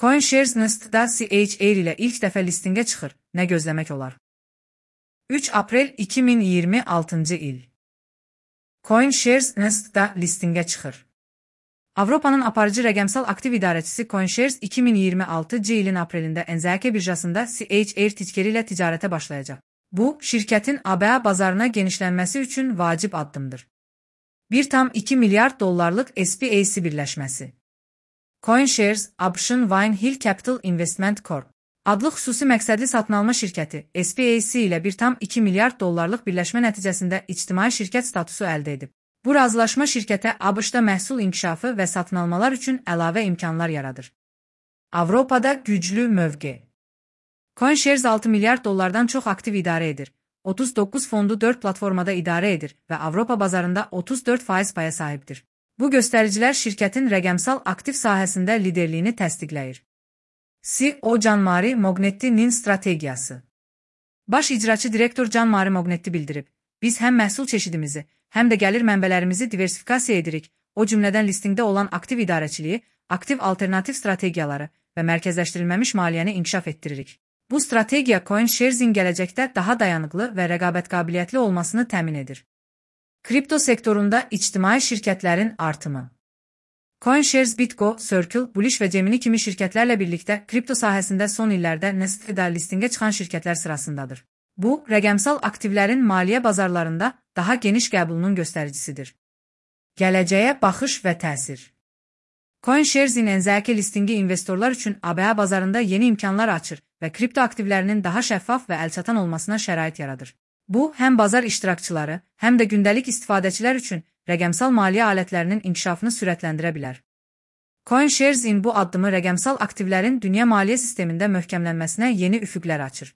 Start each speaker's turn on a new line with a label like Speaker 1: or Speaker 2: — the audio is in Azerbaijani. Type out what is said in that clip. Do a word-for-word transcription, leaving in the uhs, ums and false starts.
Speaker 1: CoinShares Nest'da C H R ilə ilk dəfə listinqə çıxır. Nə gözləmək olar? üç aprel iki min iyirmi altıncı il. CoinShares Nest'da listinqə çıxır. Avropanın aparıcı rəqəmsal aktiv idarəçisi CoinShares iki min iyirmi altıncı ilin aprelində N Z K birjasında C H R tickeri ilə ticarətə başlayacaq. Bu, şirkətin A B A bazarına genişlənməsi üçün vacib addımdır. bir tam iki milyard dollarlıq S P A C birləşməsi. CoinShares, ABŞ-ın Vinehill Capital Investment Corp adlı xüsusi məqsədli satın alma şirkəti S P A C ilə bir tam iki milyard dollarlıq birləşmə nəticəsində ictimai şirkət statusu əldə edib. Bu razılaşma şirkətə ABŞ-da məhsul inkişafı və satın almalar üçün əlavə imkanlar yaradır. Avropada güclü mövqe. CoinShares altı milyard dollardan çox aktiv idarə edir. otuz doqquz fondu dörd platformada idarə edir və Avropa bazarında otuz dörd faiz paya sahibdir. Bu göstəricilər şirkətin rəqəmsal aktiv sahəsində liderliyini təsdiqləyir. C E O Gianmari Mognetti-nin strategiyası. Baş icraçı direktor Gianmari Mognetti bildirib, biz həm məhsul çeşidimizi, həm də gəlir mənbələrimizi diversifikasiya edirik, o cümlədən listinqdə olan aktiv idarəçiliyi, aktiv alternativ strategiyaları və mərkəzləşdirilməmiş maliyyəni inkişaf etdiririk. Bu strategiya CoinShares'in gələcəkdə daha dayanıqlı və rəqabət qabiliyyətli olmasını təmin edir. Kripto sektorunda ictimai şirkətlərin artımı. CoinShares, Bitgo, Circle, Bullish və Gemini kimi şirkətlərlə birlikdə kripto sahəsində son illərdə Nasdaq'da listinqə çıxan şirkətlər sırasındadır. Bu, rəqəmsal aktivlərin maliyyə bazarlarında daha geniş qəbulunun göstəricisidir. Gələcəyə baxış və təsir. CoinShares'in N Z K listinqi investorlar üçün A B A bazarında yeni imkanlar açır və kripto aktivlərinin daha şəffaf və əlçatan olmasına şərait yaradır. Bu, həm bazar iştirakçıları, həm də gündəlik istifadəçilər üçün rəqəmsal maliyyə alətlərinin inkişafını sürətləndirə bilər. CoinShares'in bu addımı rəqəmsal aktivlərin dünya maliyyə sistemində möhkəmlənməsinə yeni üfüqlər açır.